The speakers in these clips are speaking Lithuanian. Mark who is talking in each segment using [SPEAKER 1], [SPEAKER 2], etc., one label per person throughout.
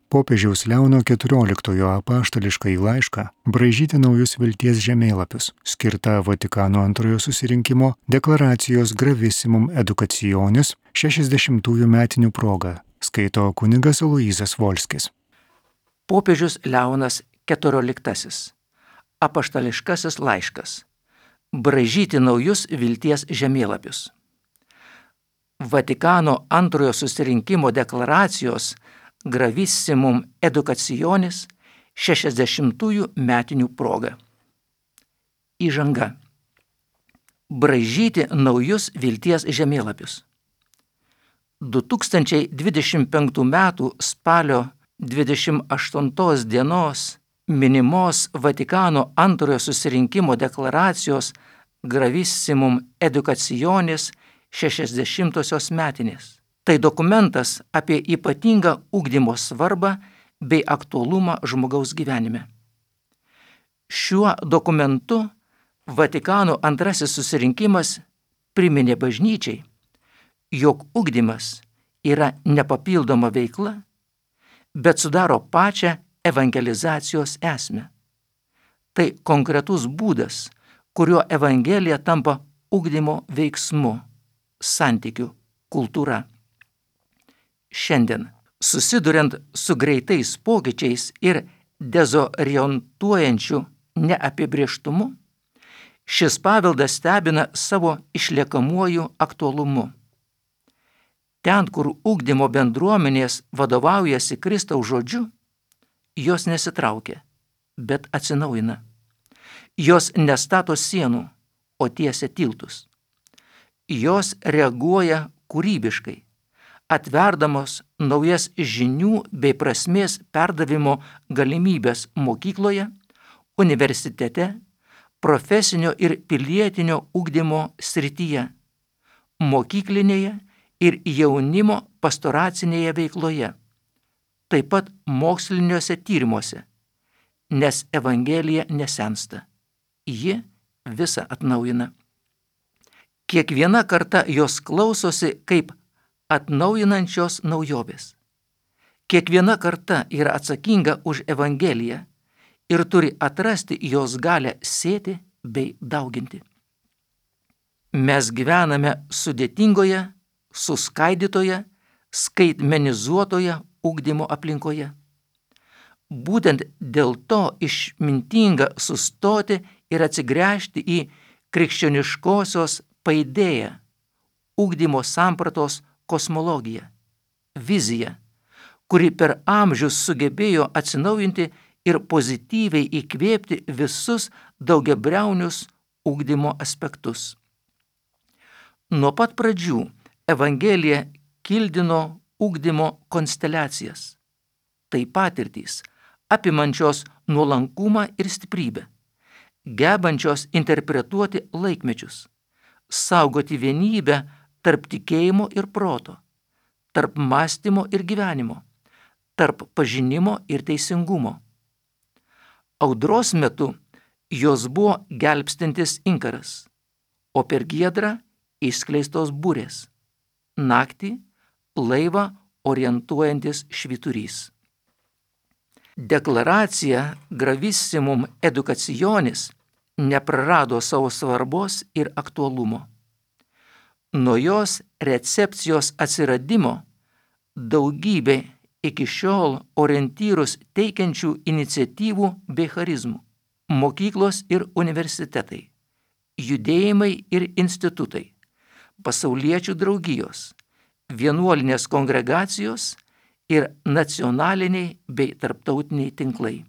[SPEAKER 1] Popiežiaus Leono XIV apaštališkąjį laišką braižyti naujus vilties žemėlapius, skirtą Vatikano antrojo susirinkimo deklaracijos Gravissimum Educationis 60-ųjų metinių proga, skaito kunigas Aloyzas Volskis.
[SPEAKER 2] Popiežius Leonas XIV. Apaštališkasis laiškas. Braižyti naujus vilties žemėlapius. Vatikano antrojo susirinkimo deklaracijos Gravissimum Educationis 60-ųjų metinių proga. Įžanga. Braižyti naujus vilties žemėlapius. 2025 m. spalio 28 dienos minimos Vatikano antrojo susirinkimo deklaracijos Gravissimum Educationis 60-osios metinės. Tai dokumentas apie ypatingą ugdymo svarbą bei aktualumą žmogaus gyvenime. Šiuo dokumentu Vatikano antrasis susirinkimas priminė bažnyčiai, jog ugdymas yra nepapildoma veikla, bet sudaro pačią evangelizacijos esmę. Tai konkretus būdas, kuriuo evangelija tampa ugdymo veiksmu, santykių kultūra. Šiandien, susiduriant su greitais pokyčiais ir dezorientuojančiu neapibrėžtumu, šis paveldas stebina savo išliekamuoju aktualumu. Ten, kur ugdymo bendruomenės vadovaujasi Kristaus žodžiu, jos nesitraukia, bet atsinaujina. Jos nestato sienų, o tiesia tiltus. Jos reaguoja kūrybiškai, atverdamos naujas žinių bei prasmės perdavimo galimybės mokykloje, universitete, profesinio ir pilietinio ugdymo srityje, mokyklinėje ir jaunimo pastoracinėje veikloje, taip pat moksliniuose tyrimuose, nes Evangelija nesensta, ji visą atnaujina. Kiekviena karta jos klausosi kaip atnaujinančios naujovės. Kiekviena karta yra atsakinga už Evangeliją ir turi atrasti jos galią sėti bei dauginti. Mes gyvename sudėtingoje, suskaidytoje, skaitmenizuotoje ugdymo aplinkoje. Būtent dėl to išmintinga sustoti ir atsigręžti į krikščioniškosios paidėją, ugdymo sampratos kosmologiją, viziją, kuri per amžius sugebėjo atsinaujinti ir pozityviai įkvėpti visus daugiabriaunius ugdymo aspektus. Nuo pat pradžių Evangelija kildino ugdymo konsteliacijas. Tai patirtys, apimančios nuolankumą ir stiprybę, gebančios interpretuoti laikmečius, saugoti vienybę tarp tikėjimo ir proto, tarp mąstymo ir gyvenimo, tarp pažinimo ir teisingumo. Audros metu jos buvo gelbstintis inkaras, o per giedrą išskleistos burės, naktį laivą orientuojantis švyturys. Deklaracija Gravissimum Educationis neprarado savo svarbos ir aktualumo. Nuo jos recepcijos atsiradimo daugybė iki šiol orientyrus teikiančių iniciatyvų bei charizmų, mokyklos ir universitetai, judėjimai ir institutai, pasauliečių draugijos, vienuolinės kongregacijos ir nacionaliniai bei tarptautiniai tinklai.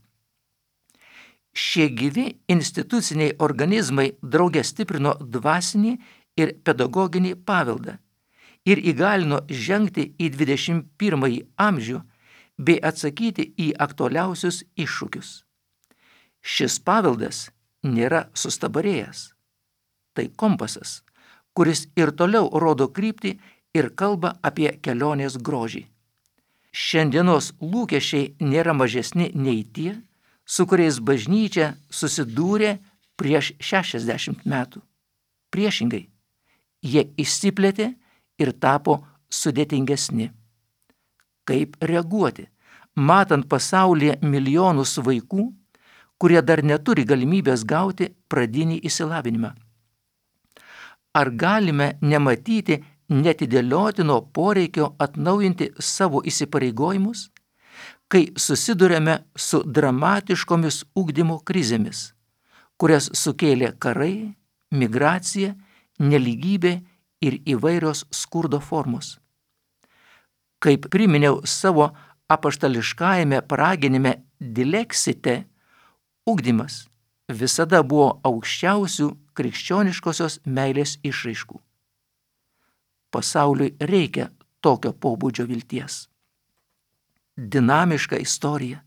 [SPEAKER 2] Šie gyvi instituciniai organizmai drauge stiprino dvasinį ir pedagoginį paveldą ir įgalino žengti į 21 amžių bei atsakyti į aktualiausius iššūkius. Šis paveldas nėra sustabarėjęs. Tai kompasas, kuris ir toliau rodo kryptį ir kalba apie kelionės grožį. Šiandienos lūkesčiai nėra mažesni nei tie, su kuriais bažnyčia susidūrė prieš 60 metų. Priešingai, jie išsiplėtė ir tapo sudėtingesni. Kaip reaguoti? matant pasaulyje milijonus vaikų, kurie dar neturi galimybės gauti pradinį išsilavinimą? Ar galime nematyti netidėliotino poreikio atnaujinti savo įsipareigojimus, kai susidurėme su dramatiškomis ugdymo krizėmis, kurias sukėlė karai, migracija, nelygybė ir įvairios skurdo formos? Kaip priminiau savo apaštališkajame paraginime Dilexite, ugdymas visada buvo aukščiausių krikščioniškosios meilės išraiškų. Pasauliui reikia tokio pobūdžio vilties. Dinamiška istorija.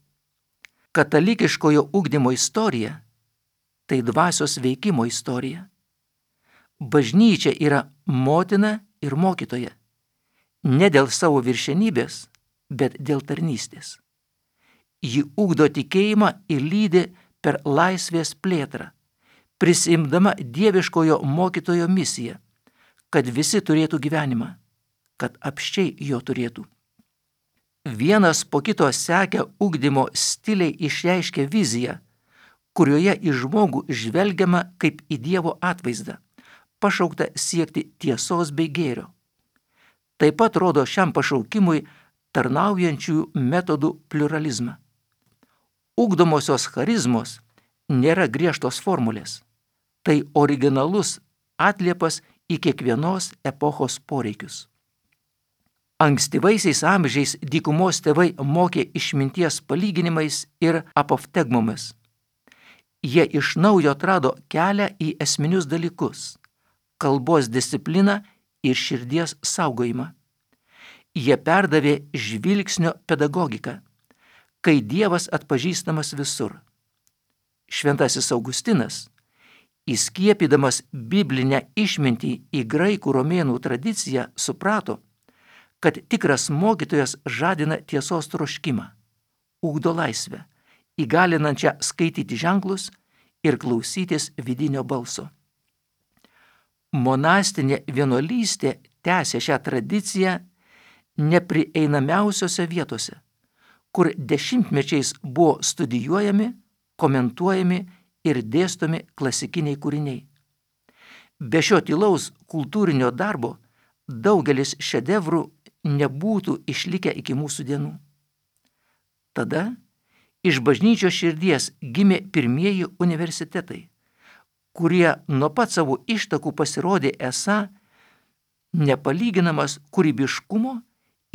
[SPEAKER 2] Katalikiškojo ugdymo istorija – tai dvasios veikimo istorija. Bažnyčia yra motina ir mokytoja. Ne dėl savo viršenybės, bet dėl tarnystės. Ji ugdo tikėjimą ir lydi per laisvės plėtrą, prisiimdama dieviškojo mokytojo misiją, kad visi turėtų gyvenimą, kad apsčiai jo turėtų. Vienas po kito sekę ugdymo stiliai išreiškia viziją, kurioje į žmogų žvelgiama kaip į Dievo atvaizdą, pašaukta siekti tiesos bei gėrio. Taip pat rodo šiam pašaukimui tarnaujančiųjų metodų pluralizmą. Ugdomosios charizmos nėra griežtos formulės. Tai originalus atliepas į kiekvienos epochos poreikius. Ankstyvaisiais amžiais dykumos tėvai mokė išminties palyginimais ir apoftegmomis. Jie iš naujo atrado kelią į esminius dalykus – kalbos discipliną ir širdies saugojimą. Jie perdavė žvilgsnio pedagogiką, kai Dievas atpažįstamas visur. Šventasis Augustinas, įskiepydamas biblinę išmintį į graikų romėnų tradiciją, suprato, kad tikras mokytojas žadina tiesos troškimą, ugdo laisvę, įgalinančią skaityti ženklus ir klausytis vidinio balso. Monastinė vienuolystė tęsė šią tradiciją neprieinamiausiose vietose, kur dešimtmečiais buvo studijuojami, komentuojami ir dėstomi klasikiniai kūriniai. Be šio tylaus kultūrinio darbo daugelis šedevrų nebūtų išlikę iki mūsų dienų. Tada iš bažnyčios širdies gimė pirmieji universitetai, kurie nuo pat savo ištakų pasirodė esą nepalyginamas kūrybiškumo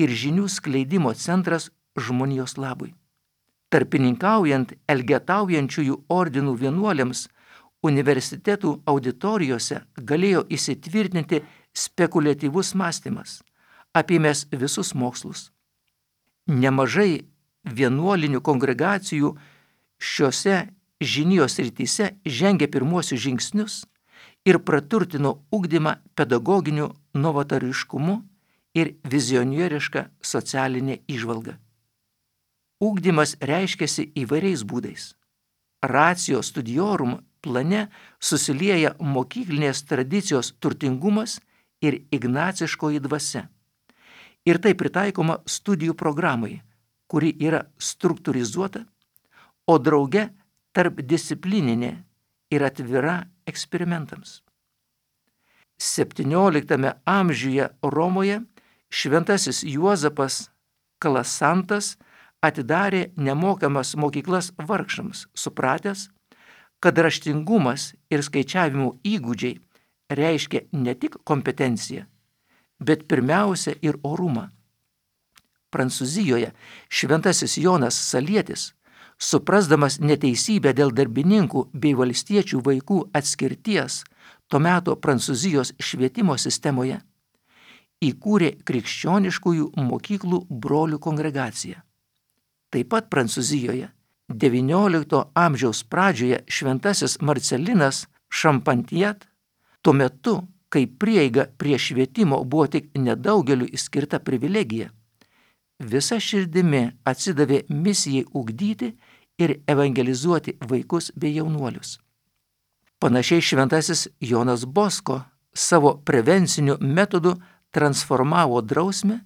[SPEAKER 2] ir žinių skleidimo centras žmonijos labui. Tarpininkaujant elgetaujančiųjų ordinų vienuoliams, universitetų auditorijose galėjo įsitvirtinti spekuliatyvus mąstymas, apėmęs visus mokslus. Nemažai vienuolinių kongregacijų šiuose žinijos srityse žengė pirmuosius žingsnius ir praturtino ugdymą pedagoginiu novatariškumu ir vizionieriška socialinė įžvalga. Ugdymas reiškiasi įvairiais būdais. Ratio studiorum plane susilieja mokyklinės tradicijos turtingumas ir ignaciškoji dvasia. Ir tai pritaikoma studijų programai, kuri yra struktūrizuota, o drauge tarpdisciplininė ir atvira eksperimentams. 17 amžiuje Romoje šventasis Juozapas Kalasantas atidarė nemokamas mokyklas vargšams, supratęs, kad raštingumas ir skaičiavimo įgūdžiai reiškia ne tik kompetenciją, bet pirmiausia ir orumą. Prancūzijoje šventasis Jonas Salietis, suprasdamas neteisybę dėl darbininkų bei valstiečių vaikų atskirties to meto Prancūzijos švietimo sistemoje, įkūrė krikščioniškųjų mokyklų brolių kongregaciją. Taip pat Prancūzijoje XIX amžiaus pradžioje šventasis Marcelinas Šampantiet, tuo metu, kai prieiga prie švietimo buvo tik nedaugeliu skirta privilegija, visa širdimi atsidavė misijai ugdyti ir evangelizuoti vaikus bei jaunuolius. Panašiai šventasis Jonas Bosko savo prevenciniu metodu transformavo drausmę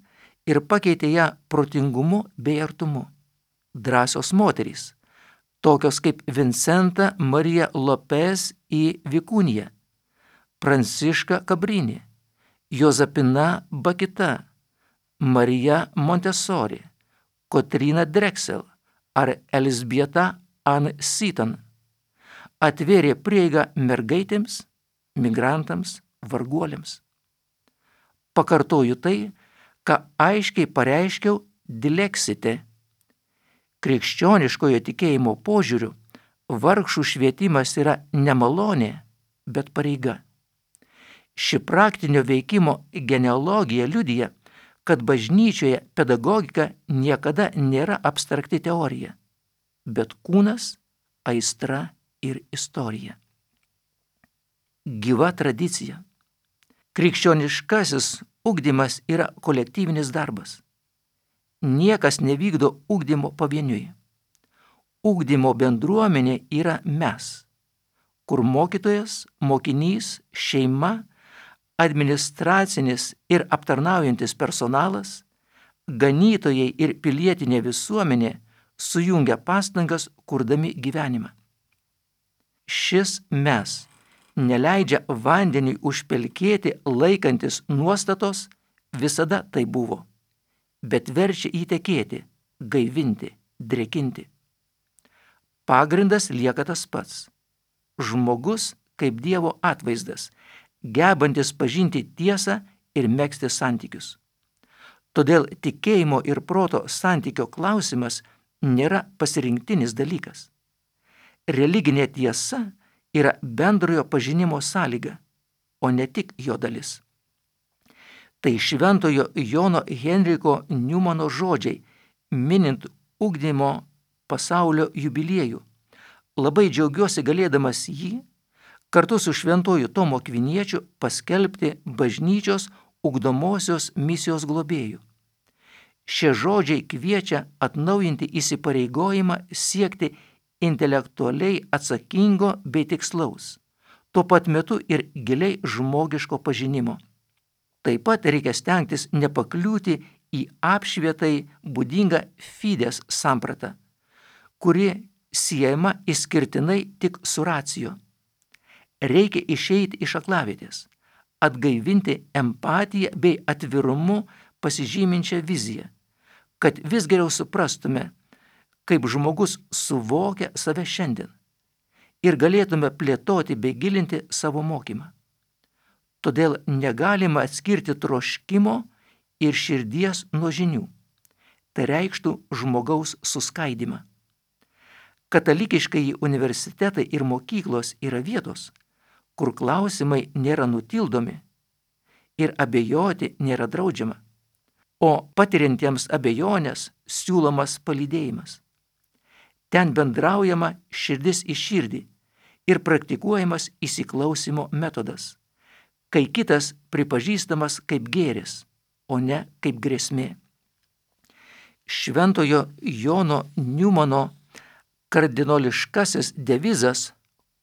[SPEAKER 2] ir pakeitė ją protingumu bei artumu. drąsios moterys, tokios kaip Vincenta Marija Lopez į Vikūniją, Pranciška Kabrini, Jozapina Bakita, Marija Montessori, Kotryna Drexel ar Elzbieta Ann Seton atvėrė prieigą mergaitėms, migrantams, varguoliams. Pakartoju tai, ką aiškiai pareiškiau Dilexite. Krikščioniškojo tikėjimo požiūriu vargšų švietimas yra ne malonė, bet pareiga. Ši praktinio veikimo genealogija liudija, kad bažnyčioje pedagogika niekada nėra abstrakti teorija, bet kūnas, aistra ir istorija. Gyva tradicija. Krikščioniškasis ugdymas yra kolektyvinis darbas. Niekas nevykdo ugdymo pavieniui. Ugdymo bendruomenė yra mes, kur mokytojas, mokinys, šeima, administracinis ir aptarnaujantis personalas, ganytojai ir pilietinė visuomenė sujungia pastangas, kurdami gyvenimą. Šis mes neleidžia vandeniui užpelkėti laikantis nuostatos, visada tai buvo, bet verčia įtekėti, gaivinti, drėkinti. Pagrindas lieka tas pats. Žmogus kaip Dievo atvaizdas, gebantis pažinti tiesą ir megzti santykius. Todėl tikėjimo ir proto santykio klausimas nėra pasirinktinis dalykas. Religinė tiesa yra bendrojo pažinimo sąlyga, o ne tik jo dalis. Tai šventojo Jono Henriko Niumano žodžiai, minint ugdymo pasaulio jubiliejų. Labai džiaugiuosi galėdamas jį kartu su šventoju Tomo Akviniečiu paskelbti bažnyčios ugdomosios misijos globėjų. Šie žodžiai kviečia atnaujinti įsipareigojimą siekti intelektualiai atsakingo bei tikslaus, tuo pat metu ir giliai žmogiško pažinimo. Taip pat reikia stengtis nepakliūti į apšvietai būdingą fides sampratą, kuri siejama išskirtinai tik su racijo. Reikia išeiti iš aklavietės, atgaivinti empatiją bei atvirumu pasižyminčią viziją, kad vis geriau suprastume, kaip žmogus suvokia save šiandien ir galėtume plėtoti bei gilinti savo mokymą. Todėl negalima atskirti troškimo ir širdies nuo žinių. Tai reikštų žmogaus suskaidimą. Katalikiškai universitetai ir mokyklos yra vietos, kur klausimai nėra nutildomi ir abejoti nėra draudžiama, o patiriantiems abejonės siūlomas palydėjimas. Ten bendraujama širdis į širdį ir praktikuojamas įsiklausimo metodas, kai kitas pripažįstamas kaip gėris, o ne kaip grėsmė. Šventojo Jono Niumano kardinoliškasis devizas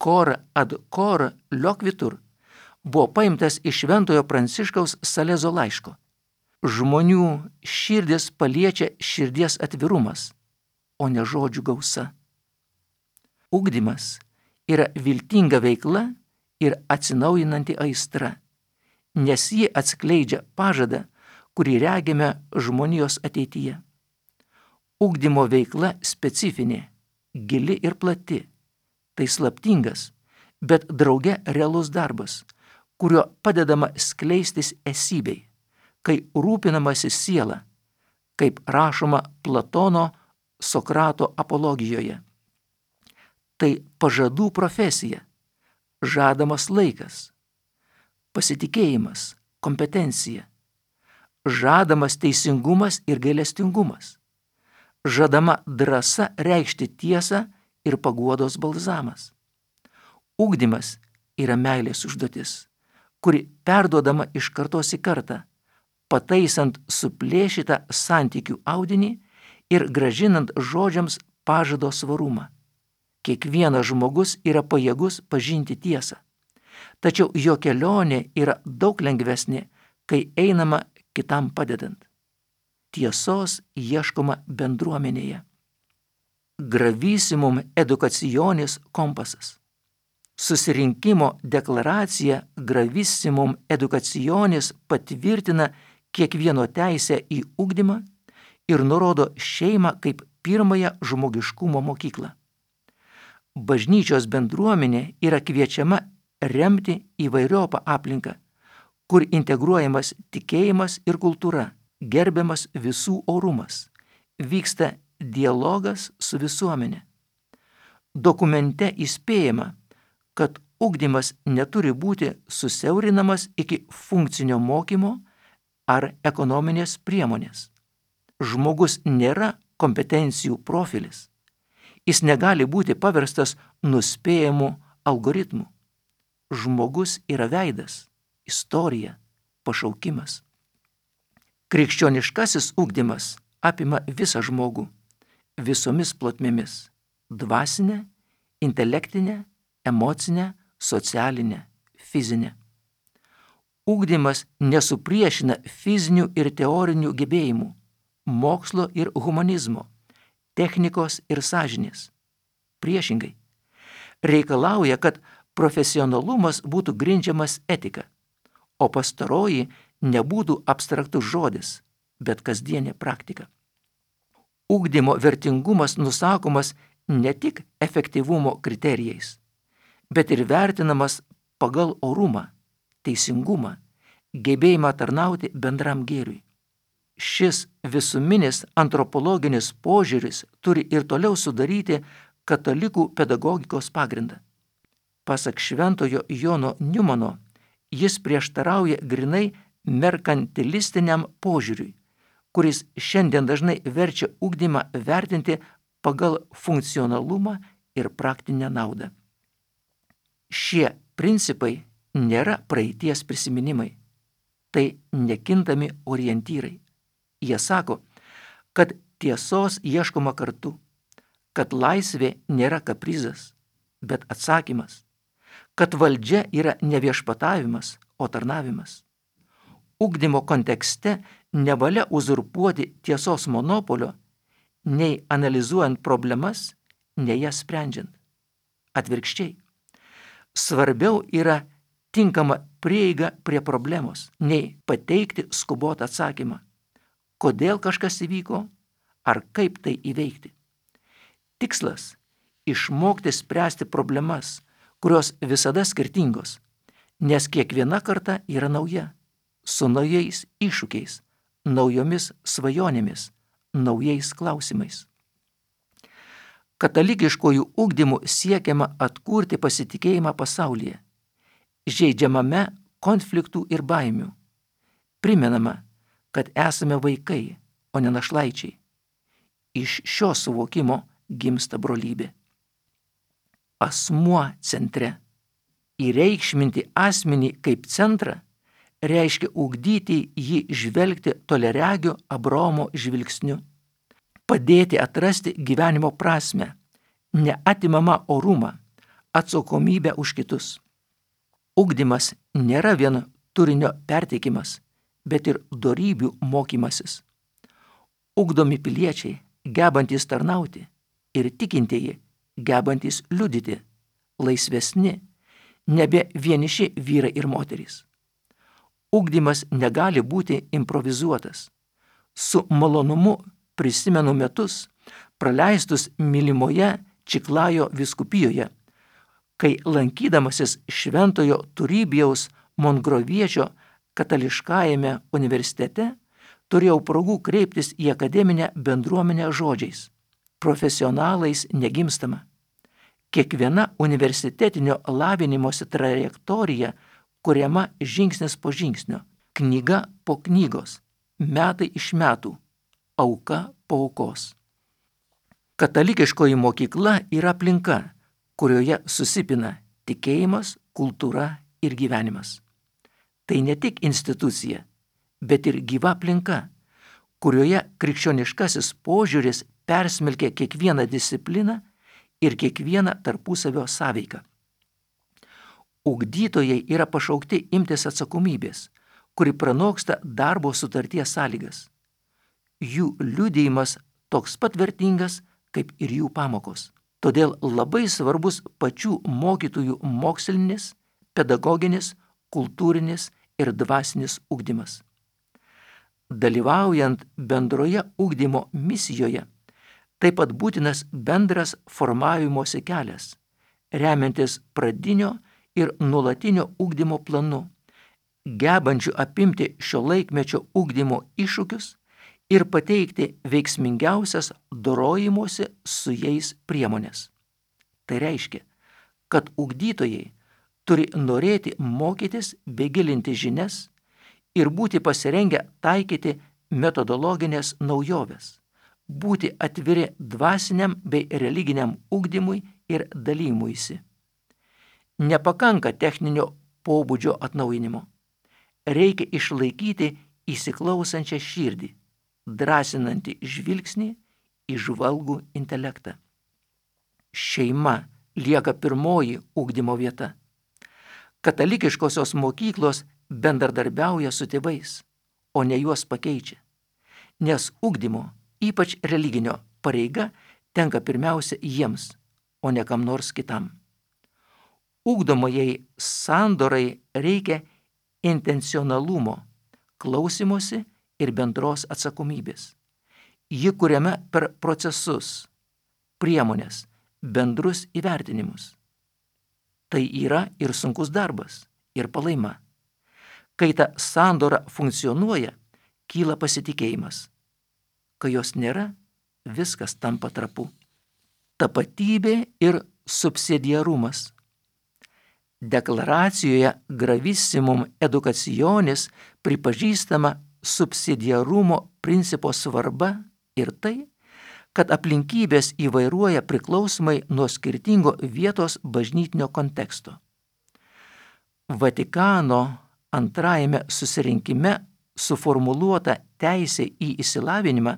[SPEAKER 2] cor ad cor loquitur buvo paimtas iš šventojo Pranciškaus Salezo laiško. Žmonių širdis paliečia širdies atvirumas, o ne žodžių gausa. Ugdymas yra viltinga veikla ir atsinaujinanti aistra, nes ji atskleidžia pažadą, kurį regime žmonijos ateityje. Ugdymo veikla specifinė, gili ir plati. Tai slaptingas, bet drauge realus darbas, kurio padedama skleistis esybei, kai rūpinamasi siela, kaip rašoma Platono Sokrato apologijoje. Tai pažadų profesija, žadamas laikas, pasitikėjimas, kompetencija, žadamas teisingumas ir gailestingumas, žadama drąsa reikšti tiesą ir paguodos balzamas. Ugdymas yra meilės užduotis, kuri perduodama iš kartos į kartą, pataisant suplėšytą santykių audinį ir grąžinant žodžiams pažado svarumą. Kiekvienas žmogus yra pajėgus pažinti tiesą, tačiau jo kelionė yra daug lengvesnė, kai einama kitam padedant. Tiesos ieškoma bendruomenėje. gravissimum educationis kompasas. Susirinkimo deklaracija gravissimum educationis patvirtina kiekvieno teisę į ugdymą ir nurodo šeimą kaip pirmąją žmogiškumo mokyklą. Bažnyčios bendruomenė yra kviečiama remti įvairiopą aplinką, kur integruojamas tikėjimas ir kultūra, gerbiamas visų orumas, vyksta dialogas su visuomenė. Dokumente įspėjama, kad ugdymas neturi būti susiaurinamas iki funkcinio mokymo ar ekonominės priemonės. Žmogus nėra kompetencijų profilis. Jis negali būti paverstas nuspėjamu algoritmu. Žmogus yra veidas, istorija, pašaukimas. Krikščioniškasis ugdymas apima visą žmogų, visomis plotmėmis – dvasinę, intelektinę, emocinę, socialinę, fizinę. Ugdymas nesupriešina fizinių ir teorinių gebėjimų, mokslo ir humanizmo, technikos ir sąžinės. Priešingai, reikalauja, kad profesionalumas būtų grindžiamas etika, o pastaroji nebūtų abstraktus žodis, bet kasdienė praktika. Ugdymo vertingumas nusakomas ne tik efektyvumo kriterijais, bet ir vertinamas pagal orumą, teisingumą, gebėjimą tarnauti bendram gėriui. Šis visuminis antropologinis požiūris turi ir toliau sudaryti katalikų pedagogikos pagrindą. Pasak šventojo Jono Niumano, jis prieštarauja grinai merkantilistiniam požiūriui, kuris šiandien dažnai verčia ugdymą vertinti pagal funkcionalumą ir praktinę naudą. Šie principai nėra praeities prisiminimai, tai nekintami orientyrai. Jie sako, kad tiesos ieškoma kartu, kad laisvė nėra kaprizas, bet atsakymas, kad valdžia yra ne viešpatavimas, o tarnavimas. Ugdymo kontekste nevalia uzurpuoti tiesos monopolio, nei analizuojant problemas, nei jas sprendžiant. Atvirkščiai, svarbiau yra tinkama prieiga prie problemos, nei pateikti skubotą atsakymą, kodėl kažkas įvyko ar kaip tai įveikti. Tikslas – išmokti spręsti problemas, kurios visada skirtingos, nes kiekviena karta yra nauja, su naujais iššūkiais, naujomis svajonėmis, naujais klausimais. Katalikiškojų ugdymų siekiama atkurti pasitikėjimą pasaulyje, žeidžiamame konfliktų ir baimių. Primenama, kad esame vaikai, o ne našlaičiai. Iš šio suvokimo gimsta brolybė. Asmuo centre. Įreikšminti asmenį kaip centrą reiškia ugdyti jį žvelgti toliaregio Abraomo žvilgsniu. Padėti atrasti gyvenimo prasmę, neatimamą orumą, atsakomybę už kitus. Ugdymas nėra vien turinio perteikimas, bet ir dorybių mokymasis. Ugdomi piliečiai, gebantys tarnauti, ir tikintieji, gebantys liudyti, laisvesni, nebe vieniši vyrai ir moterys. Ugdymas negali būti improvizuotas. Su malonumu prisimenu metus, praleistus mylimoje Čiklajo vyskupijoje, kai lankydamasis šventojo Turybijaus Mongroviečio katališkajame universitete turėjau progų kreiptis į akademinę bendruomenę žodžiais. Profesionalais negimstama. Kiekviena universitetinio lavinimosi trajektorija kuriama žingsnis po žingsnio, knyga po knygos, metai iš metų, auka po aukos. Katalikiškoji mokykla yra aplinka, kurioje susipina tikėjimas, kultūra ir gyvenimas. Tai ne tik institucija, bet ir gyva aplinka, kurioje krikščioniškasis požiūris persmelkia kiekvieną discipliną ir kiekvieną tarpusavio sąveiką. Ugdytojai yra pašaukti imtis atsakomybės, kuri pranoksta darbo sutarties sąlygas. Jų liudijimas toks pat vertingas, kaip ir jų pamokos. Todėl labai svarbus pačių mokytojų mokslinis, pedagoginis, kultūrinis ir dvasinis ugdymas. Dalyvaujant bendroje ugdymo misijoje, taip pat būtinas bendras formavimosi kelias, remiantis pradinio ir nuolatinio ugdymo planu, gebančių apimti šio laikmečio ugdymo iššūkius ir pateikti veiksmingiausias dorojimosi su jais priemonės. Tai reiškia, kad ugdytojai turi norėti mokytis bei gilinti žinias ir būti pasirengę taikyti metodologinės naujoves, būti atviri dvasiniam bei religiniam ugdymui ir dalymuisi. Nepakanka techninio pobūdžio atnaujinimo. Reikia išlaikyti įsiklausančią širdį, drąsinantį žvilgsnį, įžvalgų intelektą. Šeima lieka pirmoji ugdymo vieta. Katalikiškosios mokyklos bendradarbiauja su tėvais, o ne juos pakeičia, nes ugdymo, ypač religinio, pareiga tenka pirmiausia jiems, o ne kam nors kitam. Ugdomajai sandorai reikia intencionalumo, klausimosi ir bendros atsakomybės. Ji kuriama per procesus, priemonės, bendrus įvertinimus. Tai yra ir sunkus darbas, ir palaima. Kai ta sandora funkcionuoja, kyla pasitikėjimas. Kai jos nėra, viskas tampa trapu. Tapatybė ir subsidiarumas. Deklaracijoje Gravissimum Educationis pripažįstama subsidiarumo principo svarba ir tai, kad aplinkybės įvairuoja priklausomai nuo skirtingo vietos bažnytinio konteksto. Vatikano antrajame susirinkime suformuluota teisė į išsilavinimą,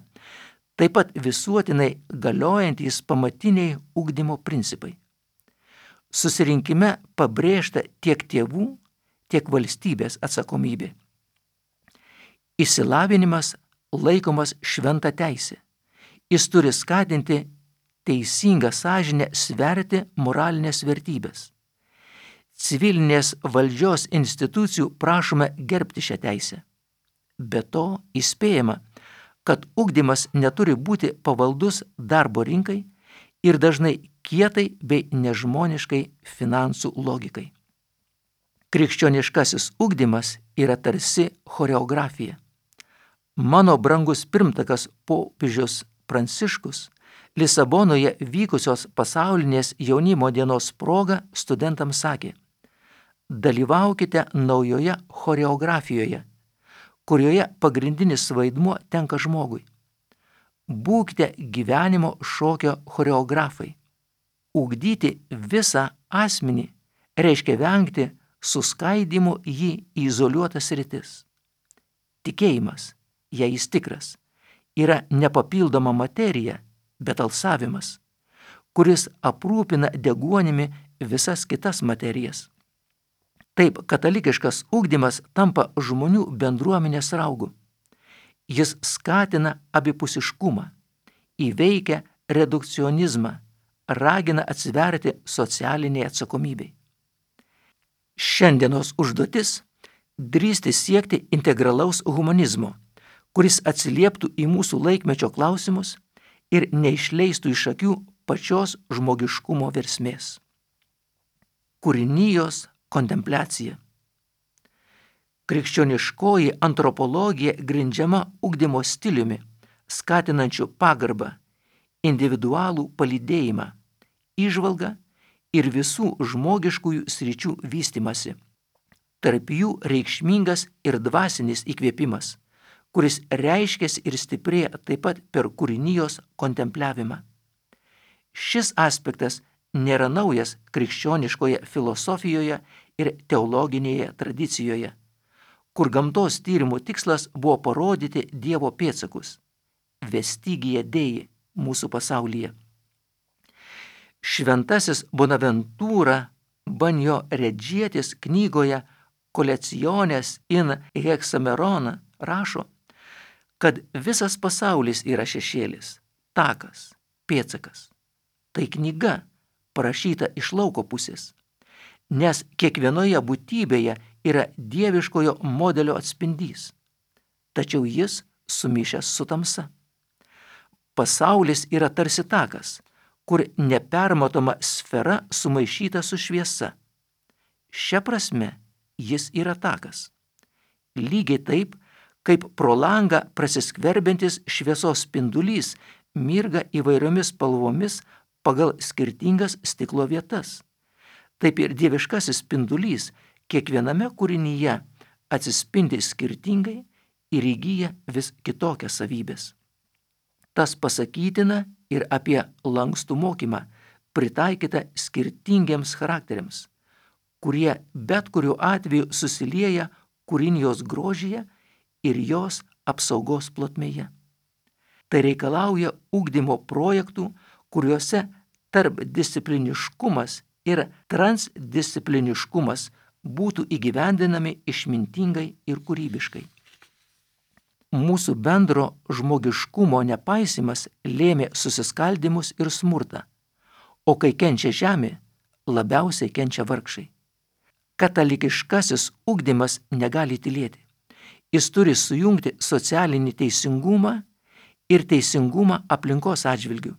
[SPEAKER 2] taip pat visuotinai galiojantys pamatiniai ugdymo principai. Susirinkime pabrėžta tiek tėvų, tiek valstybės atsakomybė. Išsilavinimas laikomas šventa teisė. Jis turi skatinti teisingą sąžinę sverti moralinės vertybės. Civilinės valdžios institucijų prašome gerbti šią teisę. Be to įspėjama, kad ugdymas neturi būti pavaldus darbo rinkai ir dažnai kietai bei nežmoniškai finansų logikai. Krikščioniškasis ugdymas yra tarsi choreografija. Mano brangus pirmtakas popiežius Pranciškus Lisabonoje vykusios pasaulinės jaunimo dienos proga studentams sakė: dalyvaukite naujoje choreografijoje, kurioje pagrindinis vaidmuo tenka žmogui. Būkite gyvenimo šokio choreografai. Ugdyti visą asmenį reiškia vengti suskaidymų jį į izoliuotas sritis. Tikėjimas, jei jis tikras, yra nepapildoma materija, bet alsavimas, kuris aprūpina deguonimi visas kitas materijas. Taip, katalikiškas ugdymas tampa žmonių bendruomenės raugu. Jis skatina abipusiškumą, įveikia redukcionizmą, ragina atsiverti socialiniai atsakomybei. Šiandienos užduotis – drįsti siekti integralaus humanizmo, kuris atsilieptų į mūsų laikmečio klausimus ir neišleistų iš akių pačios žmogiškumo versmės. Kūrinijos kontempliacija. Krikščioniškoji antropologija grindžiama ugdymo stiliumi, skatinančiu pagarbą, individualų palydėjimą, įžvalgą ir visų žmogiškųjų sričių vystymasi. Tarp jų reikšmingas ir dvasinis įkvėpimas, kuris reiškiasi ir stiprėja taip pat per kūrinijos kontempliavimą. Šis aspektas nėra naujas krikščioniškoje filosofijoje ir teologinėje tradicijoje, kur gamtos tyrimų tikslas buvo parodyti Dievo pėdsakus, vestigija Dei mūsų pasaulyje. Šventasis Bonaventūra Banjo Redžietis knygoje Collectiones in Hexamerona rašo, kad visas pasaulis yra šešėlis, takas, pėdsakas. Tai knyga, parašyta iš lauko pusės, nes kiekvienoje būtybėje yra dieviškojo modelio atspindys, tačiau jis sumišęs su tamsa. Pasaulis yra tarsi takas, kur nepermatoma sfera sumaišyta su šviesa. Šia prasme jis yra takas. Lygiai taip, kaip pro langą prasiskverbiantis šviesos spindulys mirga įvairiomis spalvomis pagal skirtingas stiklo vietas. Taip ir dieviškasis spindulys kiekviename kūrinyje atsispindi skirtingai ir įgyja vis kitokias savybės. Tas pasakytina ir apie lankstų mokymą, pritaikytą skirtingiems charakteriams, kurie bet kuriuo atveju susilieja kūrinijos grožyje ir jos apsaugos plotmėje. Tai reikalauja ugdymo projektų, kuriuose tarpdiscipliniškumas ir transdiscipliniškumas būtų įgyvendinami išmintingai ir kūrybiškai. Mūsų bendro žmogiškumo nepaisymas lėmė susiskaldimus ir smurtą, o kai kenčia žemė, labiausiai kenčia vargšai. Katalikiškasis ugdymas negali tylėti. Jis turi sujungti socialinį teisingumą ir teisingumą aplinkos atžvilgių,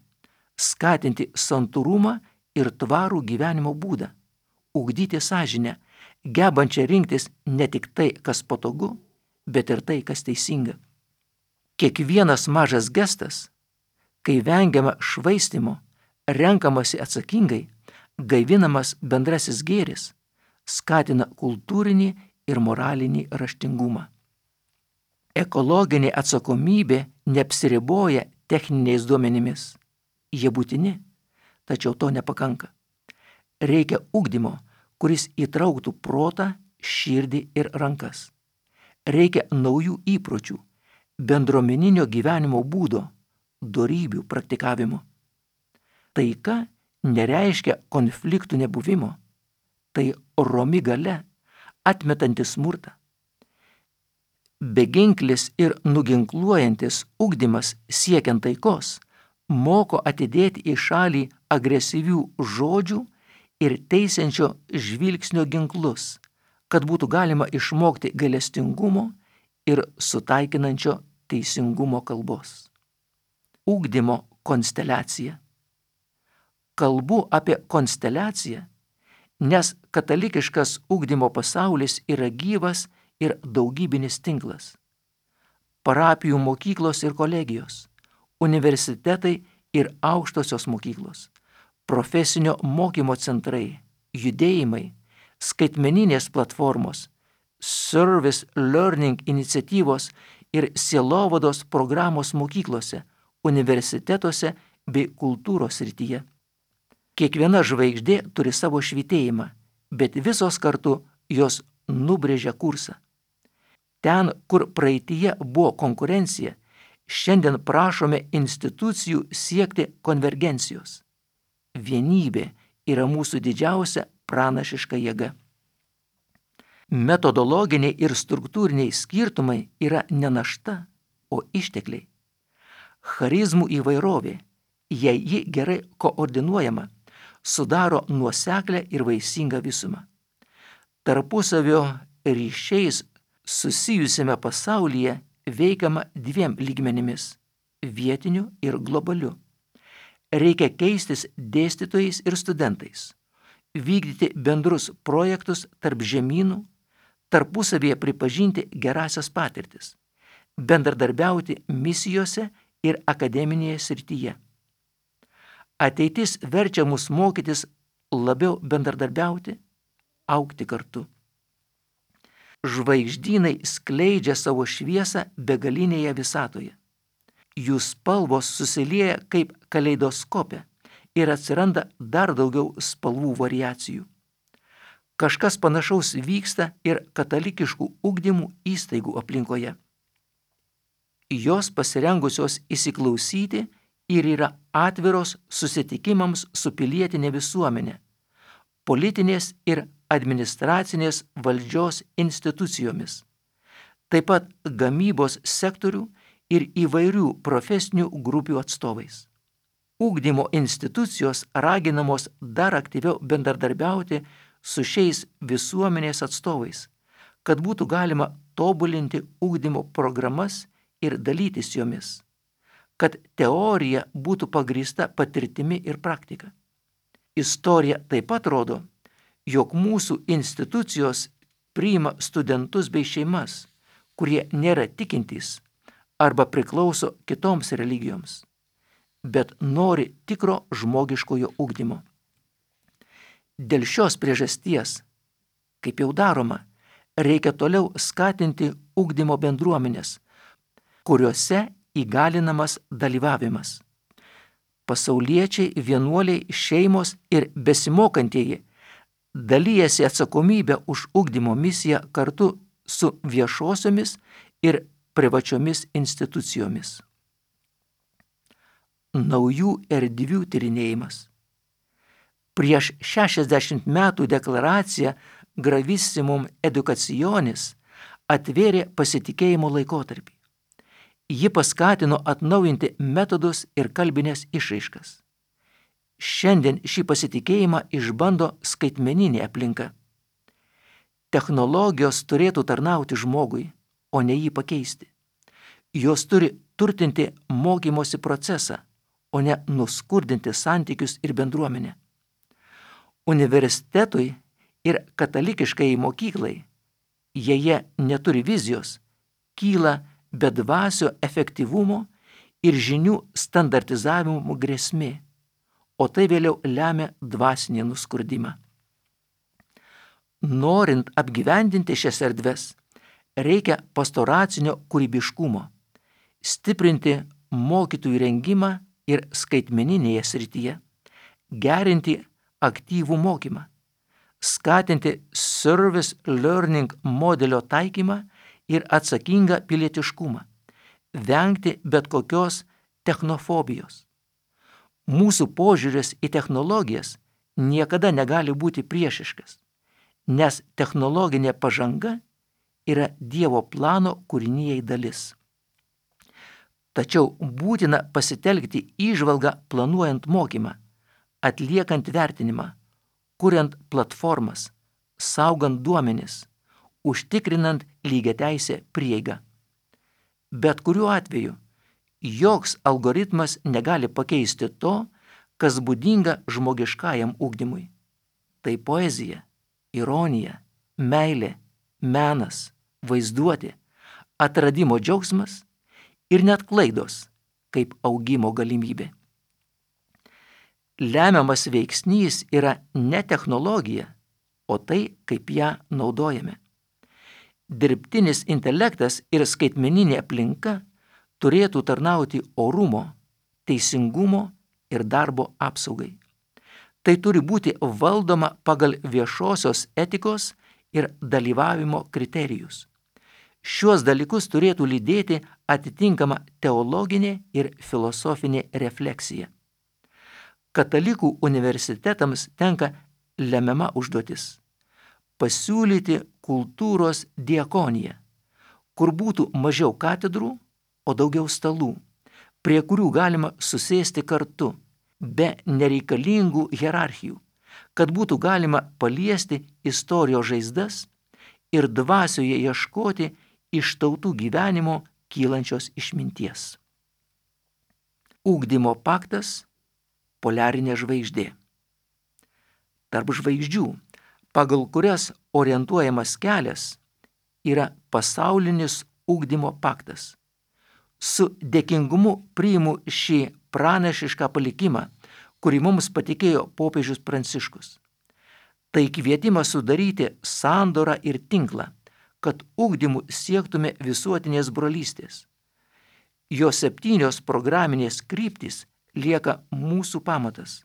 [SPEAKER 2] skatinti santūrumą ir tvarų gyvenimo būdą, ugdyti sąžinę, gebančią rinktis ne tik tai, kas patogu, bet ir tai, kas teisinga. Kiekvienas mažas gestas, kai vengiama švaistimo, renkamasi atsakingai, gaivinamas bendrasis gėris, skatina kultūrinį ir moralinį raštingumą. Ekologinė atsakomybė neapsiriboja techniniais duomenimis. Jie būtini, tačiau to nepakanka. Reikia ugdymo, kuris įtrauktų protą, širdį ir rankas. Reikia naujų įpročių, bendruomeninio gyvenimo būdo, dorybių praktikavimo. Taika nereiškia konfliktų nebuvimo. Tai romi galia, atmetanti smurtą. Beginklis ir nuginkluojantis ugdymas siekiant taikos moko atidėti į šalį agresyvių žodžių ir teisiančio žvilgsnio ginklus, kad būtų galima išmokti gailestingumo ir sutaikinančio teisingumo kalbos. Ugdymo konsteliacija. Kalbu apie konsteliaciją, nes katalikiškas ugdymo pasaulis yra gyvas ir daugybinis tinklas. Parapijų mokyklos ir kolegijos, universitetai ir aukštosios mokyklos, profesinio mokymo centrai, judėjimai, skaitmeninės platformos, service learning iniciatyvos ir sielovados programos mokyklose, universitetuose bei kultūros srityje. Kiekviena žvaigždė turi savo švytėjimą, bet visos kartu jos nubrėžia kursą. Ten, kur praeityje buvo konkurencija, šiandien prašome institucijų siekti konvergencijos. Vienybė yra mūsų didžiausia pranašiška jėga. Metodologiniai ir struktūriniai skirtumai yra ne našta, o ištekliai. Charizmų įvairovė, jei ji gerai koordinuojama, sudaro nuoseklę ir vaisingą visumą. Tarpusavio ryšiais susijusiame pasaulyje veikiama dviem lygmenimis – vietiniu ir globaliu. Reikia keistis dėstytojais ir studentais, vykdyti bendrus projektus tarp žemynų, tarpusavėje pripažinti gerąsias patirtis, bendradarbiauti misijose ir akademinėje srityje. Ateitis verčia mus mokytis labiau bendradarbiauti, augti kartu. Žvaigždynai skleidžia savo šviesą begalinėje visatoje. Jų spalvos susilieja kaip kaleidoskope ir atsiranda dar daugiau spalvų variacijų. Kažkas panašaus vyksta ir katalikiškų ugdymų įstaigų aplinkoje. Jos pasirengusios įsiklausyti ir yra atviros susitikimams su pilietinė visuomenė, politinės ir administracinės valdžios institucijomis, taip pat gamybos sektorių ir įvairių profesinių grupių atstovais. ugdymo institucijos raginamos dar aktyviau bendradarbiauti su šiais visuomenės atstovais, kad būtų galima tobulinti ugdymo programas ir dalytis jomis, kad teorija būtų pagrįsta patirtimi ir praktika. Istorija taip pat rodo, jog mūsų institucijos priima studentus bei šeimas, kurie nėra tikintys arba priklauso kitoms religijoms, bet nori tikro žmogiškojo ugdymo. Dėl šios priežasties, kaip jau daroma, reikia toliau skatinti ugdymo bendruomenės, kuriuose įgalinamas dalyvavimas. Pasauliečiai, vienuoliai, šeimos ir besimokantieji dalyjasi atsakomybę už ugdymo misiją kartu su viešosiomis ir privačiomis institucijomis. Naujų erdvių tyrinėjimas. Prieš 60 metų deklaracija Gravissimum Educationis atvėrė pasitikėjimo laikotarpį. Ji paskatino atnaujinti metodus ir kalbinės išraiškas. Šiandien šį pasitikėjimą išbando skaitmeninė aplinka. Technologijos turėtų tarnauti žmogui, o ne jį pakeisti. Jos turi turtinti mokymosi procesą, o ne nuskurdinti santykius ir bendruomenę. Universitetui ir katalikiškai mokyklai, jei jie neturi vizijos, kyla bedvasio efektyvumo ir žinių standartizavimo grėsmė, o tai vėliau lemia dvasinį nuskurdimą. Norint apgyvendinti šias erdves, reikia pastoracinio kūrybiškumo, stiprinti mokytojų rengimą ir skaitmeninėje srityje, gerinti aktyvų mokymą, skatinti service learning modelio taikymą ir atsakingą pilietiškumą, vengti bet kokios technofobijos. Mūsų požiūris į technologijas niekada negali būti priešiškas, nes technologinė pažanga yra Dievo plano kūrinijai dalis. Tačiau būtina pasitelkti įžvalgą planuojant mokymą, atliekant vertinimą, kuriant platformas, saugant duomenis, užtikrinant lygiateisę prieigą. Bet kuriuo atveju, joks algoritmas negali pakeisti to, kas būdinga žmogiškajam ugdymui. Tai poezija, ironija, meilė, menas, vaizduotė, atradimo džiaugsmas ir net klaidos kaip augimo galimybė. Lemiamas veiksnys yra ne technologija, o tai, kaip ją naudojame. Dirbtinis intelektas ir skaitmeninė aplinka turėtų tarnauti orumo, teisingumo ir darbo apsaugai. Tai turi būti valdoma pagal viešosios etikos ir dalyvavimo kriterijus. Šiuos dalykus turėtų lydėti atitinkama teologinė ir filosofinė refleksija. Katalikų universitetams tenka lemiama užduotis – pasiūlyti kultūros diakoniją, kur būtų mažiau katedrų, o daugiau stalų, prie kurių galima susėsti kartu, be nereikalingų hierarchijų, kad būtų galima paliesti istorijos žaizdas ir dvasioje ieškoti iš tautų gyvenimo kylančios išminties. Ugdymo paktas – poliarinė žvaigždė. Tarp žvaigždžių, pagal kurias orientuojamas kelias, yra pasaulinis ugdymo paktas. Su dėkingumu priimu šį pranašišką palikimą, kurį mums patikėjo popiežius Pranciškus. Tai kvietimas sudaryti sandorą ir tinklą, kad ugdymu siektume visuotinės brolystės. Jo 7 programinės kryptys lieka mūsų pamatas.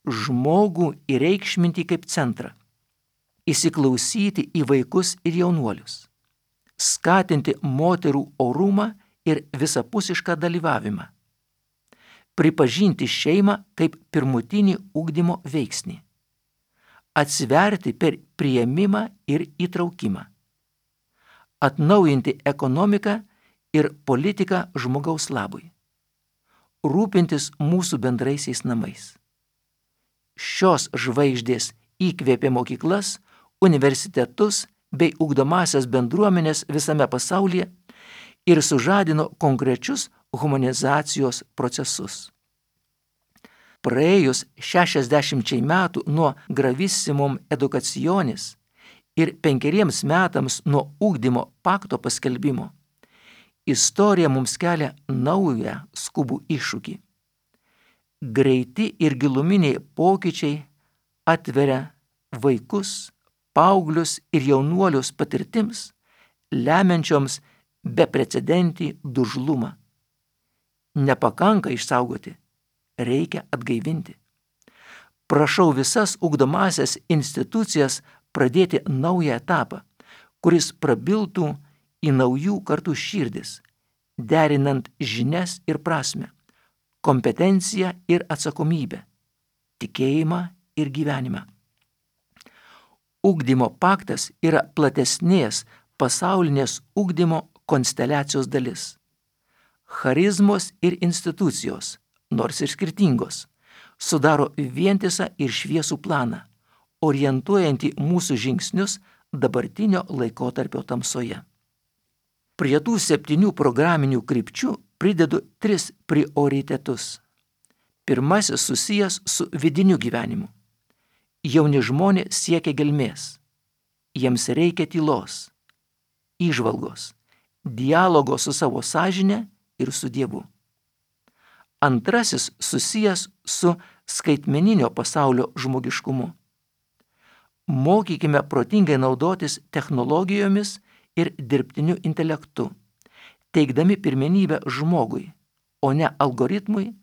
[SPEAKER 2] Žmogų įreikšminti kaip centrą, įsiklausyti į vaikus ir jaunuolius, skatinti moterų orumą ir visapusišką dalyvavimą, pripažinti šeimą kaip pirmutinį ugdymo veiksnį, atsiverti per priėmimą ir įtraukimą, atnaujinti ekonomiką ir politiką žmogaus labui, rūpintis mūsų bendraisiais namais. Šios žvaigždės įkvėpė mokyklas, universitetus bei ugdomasias bendruomenės visame pasaulyje ir sužadino konkrečius humanizacijos procesus. Praėjus 60 metų nuo Gravissimum Educationis ir 5 metams nuo ugdymo pakto paskelbimo, istorija mums kelia naują skubų iššūkį. Greiti ir giluminiai pokyčiai atveria vaikus, paauglius ir jaunuolius patirtims, lemiančioms beprecedentį dužlumą. Nepakanka išsaugoti, reikia atgaivinti. Prašau visas ugdomasias institucijas pradėti naują etapą, kuris prabiltų į naujų kartų širdis, derinant žinias ir prasmę, kompetenciją ir atsakomybę, tikėjimą ir gyvenimą. Ugdymo paktas yra platesnės pasaulinės ugdymo konsteliacijos dalis. Charizmos ir institucijos, nors ir skirtingos, sudaro vientisą ir šviesų planą, orientuojantį mūsų žingsnius dabartinio laikotarpio tamsoje. Prie tų 7 programinių krypčių pridedu 3 prioritetus. Pirmasis susijęs su vidiniu gyvenimu. Jauni žmonės siekia gelmės. Jiems reikia tylos, įžvalgos, dialogo su savo sąžine ir su Dievu. Antrasis susijęs su skaitmeninio pasaulio žmogiškumu. Mokykime protingai naudotis technologijomis ir dirbtiniu intelektu, teikdami pirmenybę žmogui, o ne algoritmui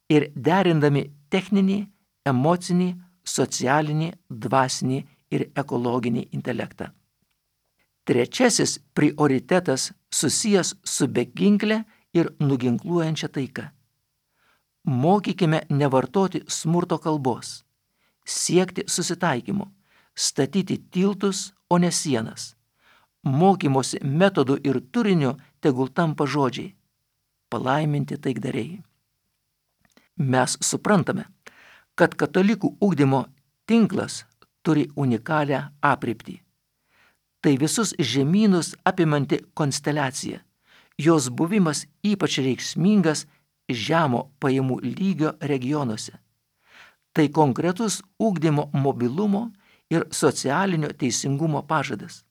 [SPEAKER 2] ir derindami techninį, emocinį, socialinį, dvasinį ir ekologinį intelektą. Trečiasis prioritetas susijęs su beginkle ir nuginkluojančia taika. Mokykime nevartoti smurto kalbos, siekti susitaikymo, statyti tiltus, o ne sienas. Mokymosi metodų ir turinių tegul tampa žodžiai, palaiminti taikdariai. Mes suprantame, kad katalikų ugdymo tinklas turi unikalią aprėptį. Tai visus žemynus apimanti konsteliacija, jos buvimas ypač reikšmingas žemo pajamų lygio regionuose. Tai konkretus ugdymo mobilumo ir socialinio teisingumo pažadas.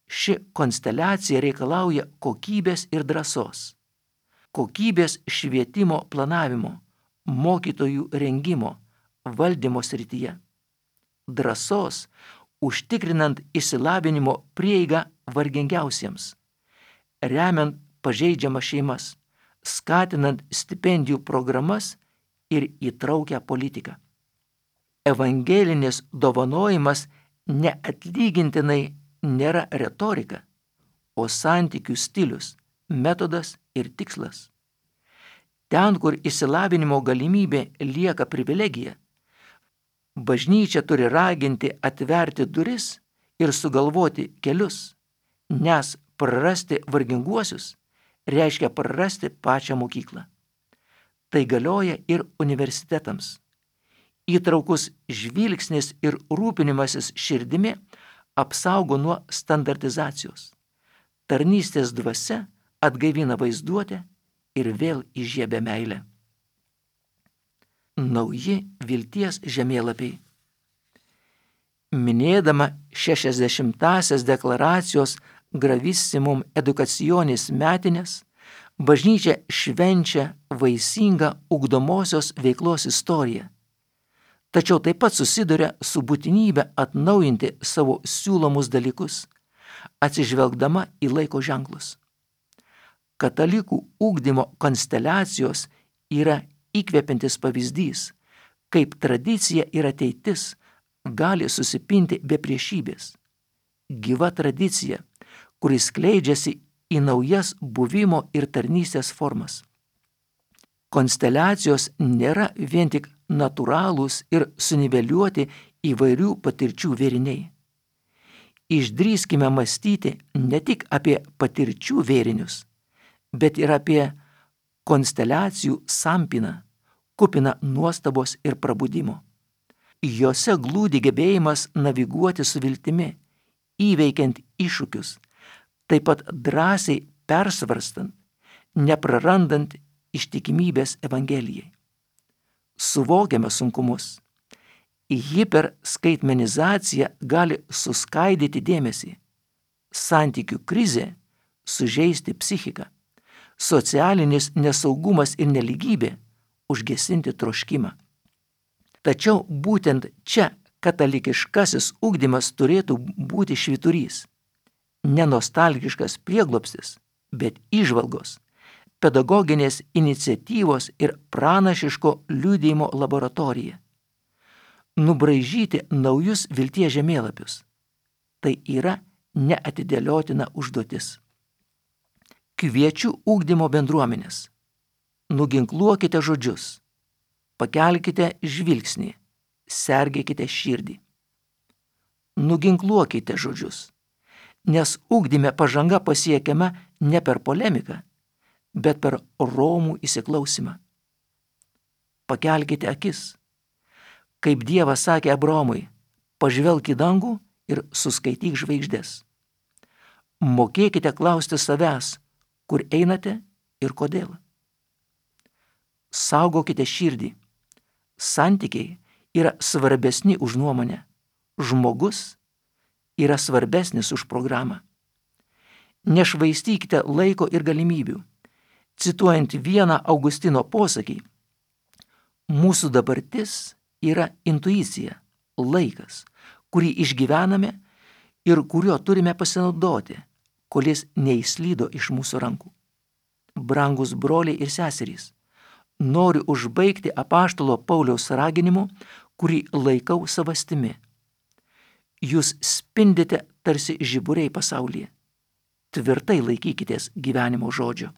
[SPEAKER 2] Ši konsteliacija reikalauja kokybės ir drąsos, kokybės švietimo planavimo, mokytojų rengimo, valdymo srityje, drąsos užtikrinant išsilavinimo prieigą vargingiausiems, remiant pažeidžiamas šeimas, skatinant stipendijų programas ir įtraukią politiką. Evangelinis dovanojimas neatlygintinai nėra retorika, o santykių stilius, metodas ir tikslas. Ten, kur išsilavinimo galimybė lieka privilegija, bažnyčia turi raginti atverti duris ir sugalvoti kelius, nes prarasti varginguosius reiškia prarasti pačią mokyklą. Tai galioja ir universitetams. Įtraukus žvilgsnis ir rūpinimasis širdimi apsaugo nuo standartizacijos. Tarnystės dvasia atgaivina vaizduotę ir vėl įžiebia meilę. Nauji vilties žemėlapiai. Minėdama 60-asias deklaracijos Gravissimum Educationis metines, bažnyčia švenčia vaisingą ugdomosios veiklos istoriją, tačiau taip pat susiduria su būtinybė atnaujinti savo siūlomus dalykus, atsižvelgdama į laiko ženklus. Katalikų ugdymo konsteliacijos yra įkvepiantis pavyzdys, kaip tradicija ir ateitis gali susipinti be priešybės. Gyva tradicija, kuris skleidžiasi į naujas buvimo ir tarnystės formas. Konsteliacijos nėra vien tik natūralūs ir suniveliuoti įvairių patirčių vėriniai. Išdrįskime mąstyti ne tik apie patirčių vėrinius, bet ir apie konsteliacijų sampyna, kupina nuostabos ir prabudimo. Jose glūdi gebėjimas naviguoti su viltimi, įveikiant iššūkius, taip pat drąsiai persvarstant, neprarandant ištikimybės Evangelijai. Suvokiame sunkumus. Hiperskaitmenizacija gali suskaidyti dėmesį, santykių krizė sužeisti psichiką, socialinis nesaugumas ir nelygybė užgesinti troškimą. Tačiau būtent čia katalikiškasis ugdymas turėtų būti švyturys, ne nostalgiškas prieglobstis, bet įžvalgos, pedagoginės iniciatyvos ir pranašiško liudijimo laboratorija. Nubraižyti naujus vilties žemėlapius. Tai yra neatidėliotina užduotis. Kviečiu ugdymo bendruomenės. Nuginkluokite žodžius, pakelkite žvilgsnį, sergėkite širdį. Nuginkluokite žodžius, nes ugdyme pažanga pasiekiama ne per polemiką, bet per romų įsiklausimą. Pakelkite akis. Kaip Dievas sakė Abraomui, pažvelk į dangų ir suskaityk žvaigždės. Mokėkite klausti savęs, kur einate ir kodėl. Saugokite širdį. Santykiai yra svarbesni už nuomonę. Žmogus yra svarbesnis už programą. Nešvaistykite laiko ir galimybių. Cituojant vieną Augustino posakį, mūsų dabartis yra intuicija, laikas, kurį išgyvename ir kuriuo turime pasinaudoti, kol jis neįslydo iš mūsų rankų. Brangus broliai ir seserys, noriu užbaigti apaštalo Pauliaus raginimu, kurį laikau savastimi. Jūs spindite tarsi žiburiai pasaulyje. Tvirtai laikykitės gyvenimo žodžio.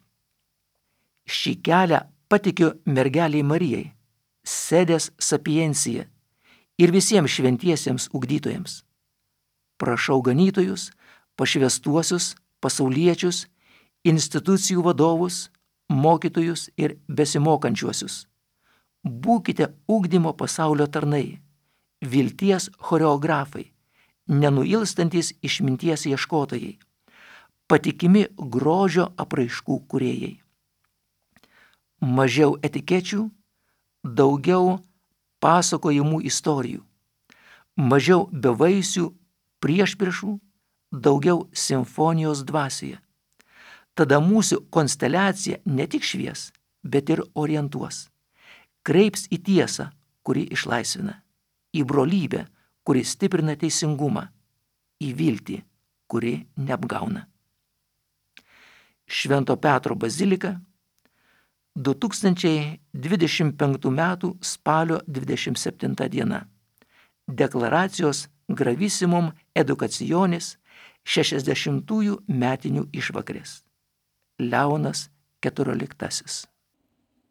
[SPEAKER 2] Šį kelią patikiu mergeliai Marijai, Sedės Sapiencija ir visiems šventiesiems ugdytojams. Prašau ganytojus, pašvęstuosius, pasauliečius, institucijų vadovus, mokytojus ir besimokančiuosius. Būkite ugdymo pasaulio tarnai, vilties choreografai, nenuilstantis išminties ieškotojai, patikimi grožio apraiškų kūrėjai. Mažiau etikečių, daugiau pasakojimų istorijų, mažiau bevaisių priešpriešų, daugiau simfonijos dvasioje. Tada mūsų konsteliacija ne tik švies, bet ir orientuos. Kreips į tiesą, kuri išlaisvina, į brolybę, kuri stiprina teisingumą, į viltį, kuri neapgauna. Švento Petro bazilika, 2025 m. spalio 27 diena. Deklaracijos Gravissimum Educationis 60-ųjų metinių išvakarės. Leonas XIV.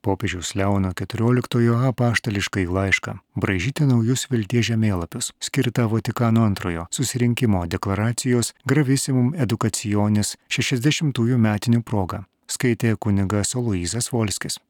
[SPEAKER 1] Popiežiaus Leono XIV apaštališkai laišką braižyti naujus vilties žemėlapius, skirtą Vatikano antrojo susirinkimo deklaracijos Gravissimum Educationis 60-ųjų metinių proga, skaitė kunigas Aloyzas Volskis.